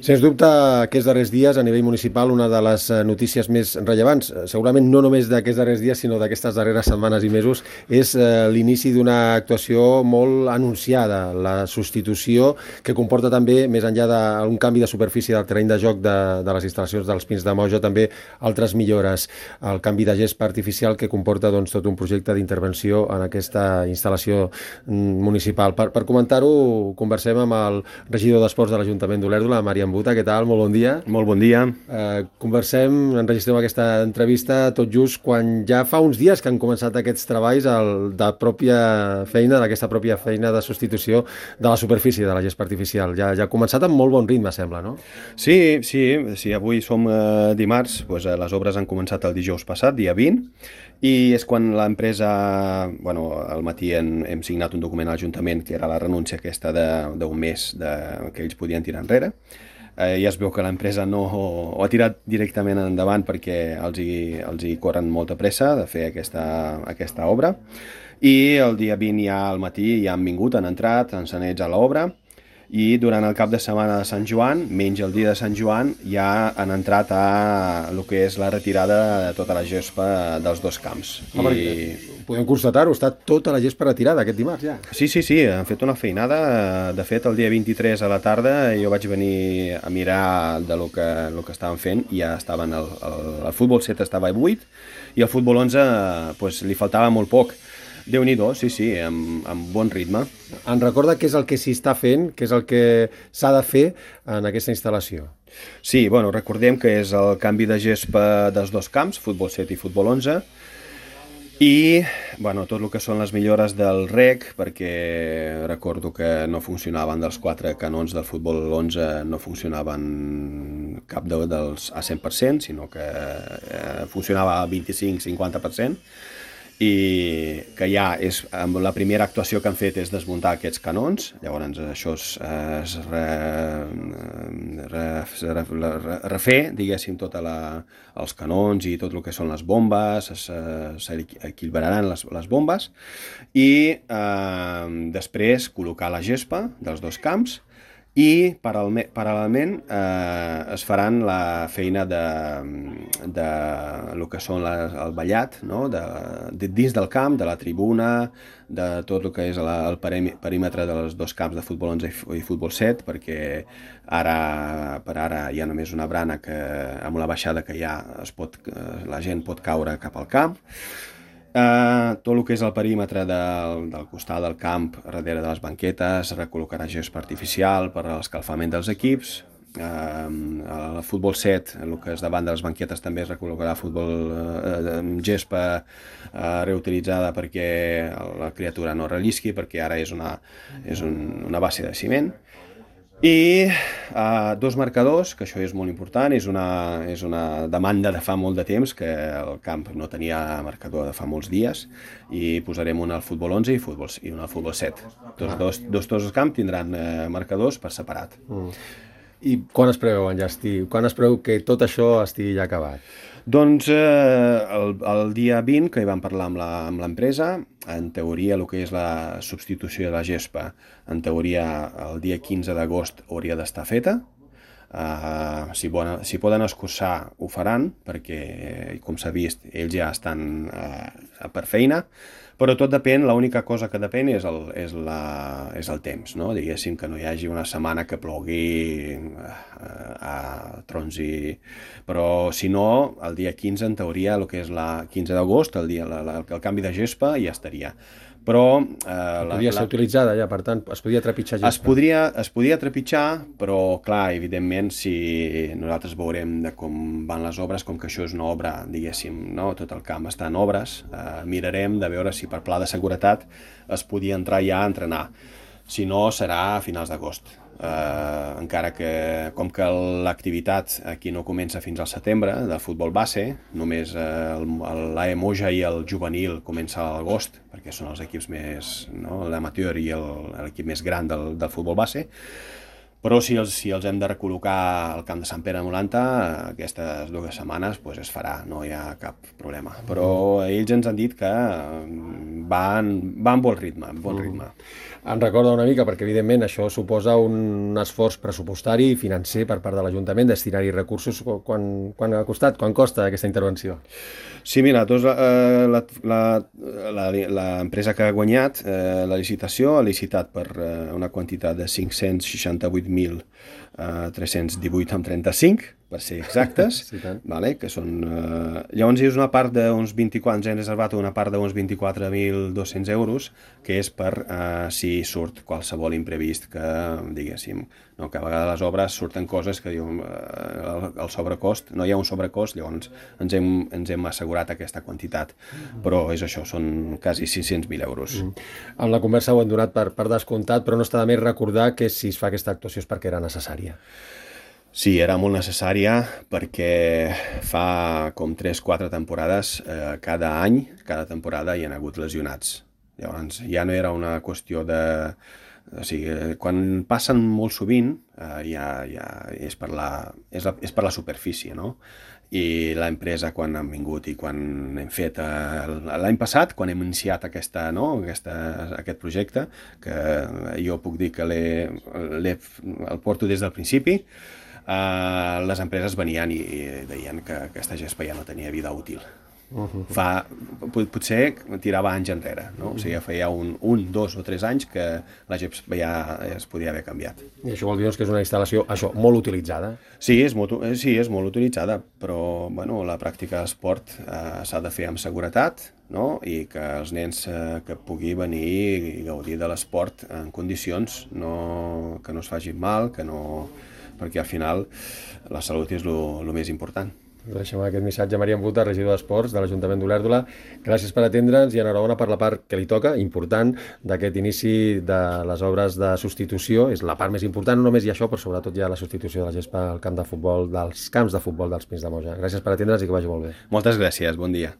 Sens dubte, aquests darrers dies, a nivell municipal, una de les notícies més rellevants, segurament no només d'aquests darrers dies, sinó d'aquestes darreres setmanes i mesos, és l'inici d'una actuació molt anunciada, la substitució que comporta també, més enllà d'un canvi de superfície del terreny de joc de les instal·lacions dels Pins de Moja, també altres millores, el canvi de gespa artificial que comporta tot un projecte d'intervenció en aquesta instal·lació municipal. Per comentar-ho, conversem amb el regidor d'Esports de l'Ajuntament d'Olèrdola, Maria Buta, què tal? Molt bon dia. Molt bon dia. Enregistrem aquesta entrevista tot just quan ja fa uns dies que han començat aquests treballs d'aquesta pròpia feina de substitució de la superfície de la gespa artificial. Ja ha començat amb molt bon ritme, sembla, no? Sí, avui som dimarts, doncs les obres han començat el dijous passat, dia 20, i és quan l'empresa, al matí hem signat un document a l'Ajuntament que era la renúncia aquesta d'un mes que ells podien tirar enrere. Ja es veu que l'empresa no ho ha tirat directament endavant perquè els hi corren molta pressa de fer aquesta obra, i el dia 20 ja al matí ja han entrat encenets a l'obra, i durant el cap de setmana de Sant Joan, menys el dia de Sant Joan, ja han entrat a el que és la retirada de tota la gespa dels dos camps. Podem constatar-ho, està tota la gespa retirada aquest dimarts ja. Sí, han fet una feinada. De fet, el dia 23 a la tarda jo vaig venir a mirar de lo que estaven fent, i ja estaven, el futbol 7 estava buit i el futbol 11 li faltava molt poc. Déu-n'hi-do, sí, amb bon ritme. En recorda què és el que s'hi està fent, què és el que s'ha de fer en aquesta instal·lació? Sí, recordem que és el canvi de gespa dels dos camps, futbol 7 i futbol 11, i tot el que són les millores del rec, perquè recordo que no funcionaven dels 4 canons del futbol 11, no funcionaven cap dels a 100%, sinó que funcionava al 25-50%, i que ja és la primera actuació que han fet és desmuntar aquests canons. Llavors això es refer, diguéssim, tots els canons i tot el que són les bombes, s'equilibraran les bombes, i després col·locar la gespa dels dos camps, i paral·lelament es faran la feina de el que són el ballat, no? Dins del camp, de la tribuna, de tot el que és el perímetre dels dos camps de futbol 11 i futbol 7, perquè per ara hi ha només una brana amb la baixada que ja la gent pot caure cap al camp. Tot el que és el perímetre del costat del camp, darrere de les banquetes, recol·locarà gespa artificial per a l'escalfament dels equips. El futbol 7, el que és davant de les banquetes, també es recol·locarà gespa reutilitzada perquè la criatura no rellisqui, perquè ara és una base de ciment. I dos marcadors, que això és molt important, és una demanda de fa molt de temps, que el camp no tenia marcador de fa molts dies, i posarem un al futbol 11 i un al futbol 7. Tots els camps tindran marcadors per separat. I quan es preveu enllestir? Quan es preveu que tot això estigui ja acabat? Doncs el dia 20, que hi vam parlar amb l'empresa, en teoria el que és la substitució de la gespa, en teoria el dia 15 d'agost hauria d'estar feta. Si poden escurçar ho faran, perquè com s'ha vist ells ja estan per feina, però tot depèn, l'única cosa que depèn és el temps, no? Diguéssim que no hi hagi una setmana que plogui a trons, però si no, el dia 15 en teoria, el que és la 15 d'agost, el canvi de gespa ja estaria. Però podria ser utilitzada ja, per tant, es podria trepitjar gespa. Es podria trepitjar, però clar, evidentment, si nosaltres veurem com van les obres, com que això és una obra, diguéssim, no? Tot el camp està en obres, mirarem de veure si per pla de seguretat es podia entrar ja a entrenar. Si no, serà a finals d'agost. Encara que, com que l'activitat aquí no comença fins al setembre, del futbol base, només l'AE Moja i el juvenil comença a l'agost, perquè són els equips més, no? L'amateur i l'equip més gran del futbol base, Però si els hem de recol·locar al camp de Sant Pere de Molanta, aquestes 2 setmanes pues, es farà, no hi ha cap problema. Però ells ens han dit que van amb bon ritme, Em recorda una mica, perquè evidentment això suposa un esforç pressupostari i financer per part de l'Ajuntament, destinar-hi recursos. Quan ha costat? Quan costa aquesta intervenció? Sí, mira, l'empresa que ha guanyat la licitació ha licitat per una quantitat de 565.318,35, per ser exactes, Sí, tant. vale? Que són, llavors és una part d'uns 24, ens hem reservat una part d'uns 24.200 euros, que és per si surt qualsevol imprevist que, diguéssim, no, que a vegades les obres surten coses que diuen el sobrecost, no hi ha un sobrecost, llavors ens hem assegurat aquesta quantitat, però és això, són quasi 600.000 euros. En la conversa ho hem donat per descomptat, però no està de més recordar que si es fa aquesta actuació és perquè era necessària. Sí, era molt necessària perquè fa com 3-4 temporades, cada any, cada temporada hi ha hagut lesionats. Llavors ja no era una qüestió de... O sigui, quan passen molt sovint ja és per la superfície, no? I l'empresa, quan han vingut i quan hem fet l'any passat, quan hem iniciat aquest projecte, que jo puc dir que el porto des del principi, les empreses venien i deien que aquesta gespa ja no tenia vida útil. Potser tirava anys enrere, no? O sigui, feia 1, 2 o 3 anys que la gespa ja es podia haver canviat. I això vol dir que és una instal·lació molt utilitzada? Sí, és molt utilitzada, però bueno, la pràctica d'esport s'ha de fer amb seguretat, no? I que els nens que pugui venir i gaudir de l'esport en condicions, que no es facin mal, perquè al final la salut és el més important. Deixem aquest missatge a Maria Embuta, regidor d'Esports de l'Ajuntament d'Olèrdola. Gràcies per atendre'ns i enhorabona per la part que li toca, important, d'aquest inici de les obres de substitució. És la part més important, no només hi ha això, però sobretot hi ha la substitució de la gespa al camp de futbol, dels camps de futbol dels Pins de Moja. Gràcies per atendre'ns i que vagi molt bé. Moltes gràcies, bon dia.